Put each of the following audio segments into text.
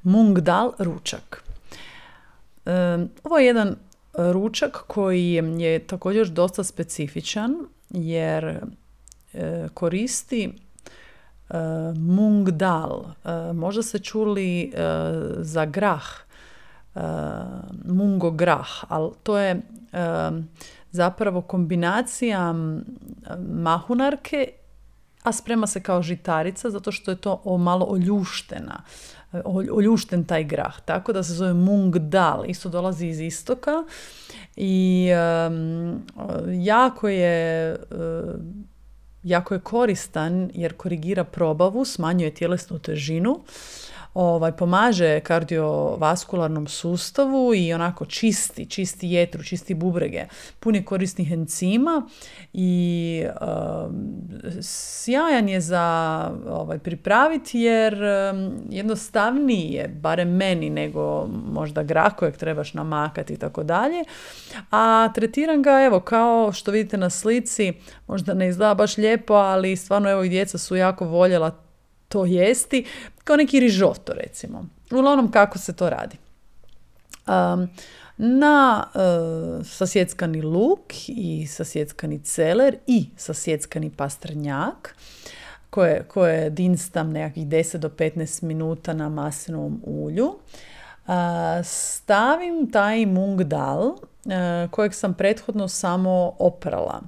Mung dal ručak. Ovo je jedan ručak koji je također dosta specifičan jer koristi mung dal. Možda ste čuli za grah, mungo grah, ali to je zapravo kombinacija mahunarke, a sprema se kao žitarica zato što je to malo oljušten taj grah, tako da se zove mung dal, isto dolazi iz istoka i jako je koristan jer korigira probavu, smanjuje tjelesnu težinu, pomaže kardiovaskularnom sustavu i onako čisti jetru, čisti bubrege, pun je korisnih enzima i sjajan je za pripraviti jer jednostavniji je, barem meni, nego možda grah kojeg trebaš namakati i tako dalje. A tretiram ga, evo, kao što vidite na slici, možda ne izgleda baš lijepo, ali stvarno evo i djeca su jako voljela to jesti, kao neki rižoto recimo. Uglavnom kako se to radi. Na sasjeckani luk i sasjeckani celer i sasjeckani pastrnjak koje dinstam nekakvih 10 do 15 minuta na maslinovom ulju. Stavim taj mung dal kojeg sam prethodno samo oprala.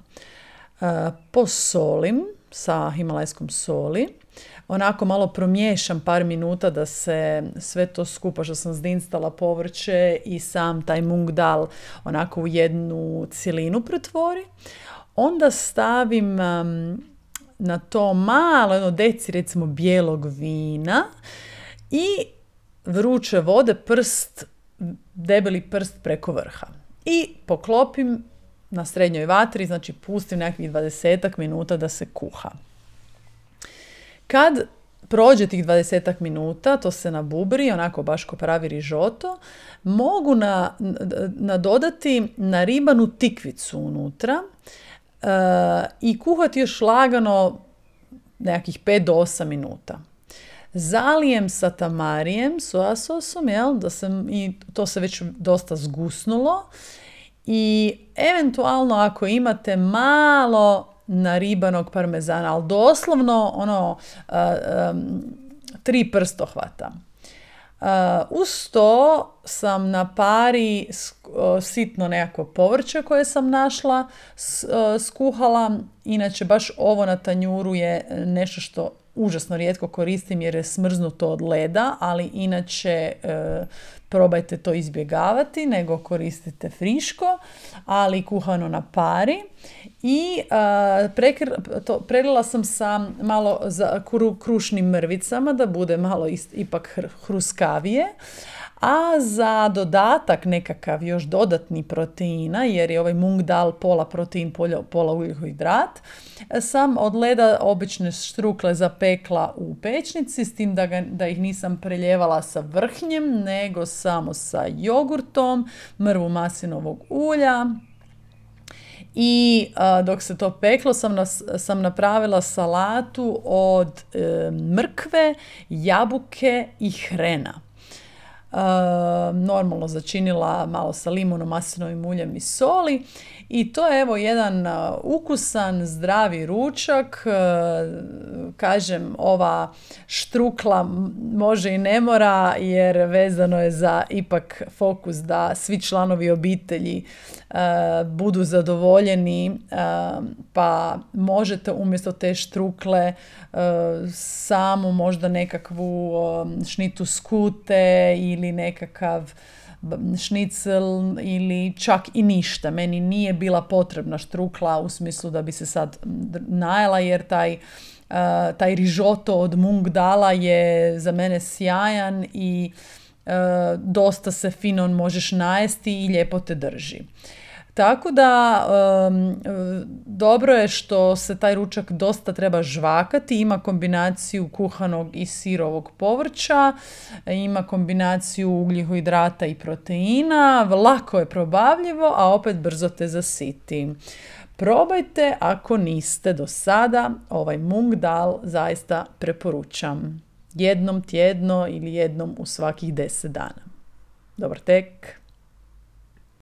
Posolim sa himalajskom soli. Onako malo promiješam par minuta da se sve to skupa što sam zdinstala, povrće i sam taj mung dal onako u jednu cjelinu pretvori. Onda stavim na to malo, jedno deci recimo bijelog vina i vruće vode, debeli prst preko vrha. I poklopim na srednjoj vatri, znači pustim nekakvih 20 minuta da se kuha. Kad prođe tih 20 minuta, to se nabubri, onako baš ko pravi rižoto, mogu nadodati naribanu tikvicu unutra i kuhati još lagano nekakvih 5 do 8 minuta. Zalijem sa tamarijem, soja sosom, i to se već dosta zgusnulo. I eventualno ako imate malo naribanog parmezana, ali doslovno 3 prstohvata. Uz to sam na pari sitno nekako povrće koje sam našla, skuhala. Inače baš ovo na tanjuru je nešto što užasno rijetko koristim jer je smrznuto od leda, ali inače probajte to izbjegavati, nego koristite friško, ali kuhano na pari. I prelila sam sa malo krušnim mrvicama da bude malo ipak hruskavije. A za dodatak nekakav još dodatni proteina, jer je ovaj mung dal pola protein, pola ugljikohidrat, sam od leda obične štrukle zapekla u pečnici, s tim da ih nisam preljevala sa vrhnjem, nego samo sa jogurtom, mrvu maslinovog ulja. I dok se to peklo sam napravila salatu od mrkve, jabuke i hrena. Normalno začinila malo sa limunom, maslinovim uljem i soli i to je evo jedan ukusan, zdravi ručak. Kažem, ova štrukla može i ne mora jer vezano je za ipak fokus da svi članovi obitelji budu zadovoljeni, pa možete umjesto te štrukle samo možda nekakvu šnitu skute ili nekakav šnicel ili čak i ništa. Meni nije bila potrebna štrukla u smislu da bi se sad najela jer taj rižoto od mung dala je za mene sjajan i dosta se fino možeš najesti i lijepo te drži. Tako da dobro je što se taj ručak dosta treba žvakati, ima kombinaciju kuhanog i sirovog povrća, ima kombinaciju ugljikohidrata i proteina, lako je probavljivo, a opet brzo te zasiti. Probajte ako niste do sada, ovaj mung dal zaista preporučam. jednom tjedno ili jednom u svakih 10 dana. Dobar tek!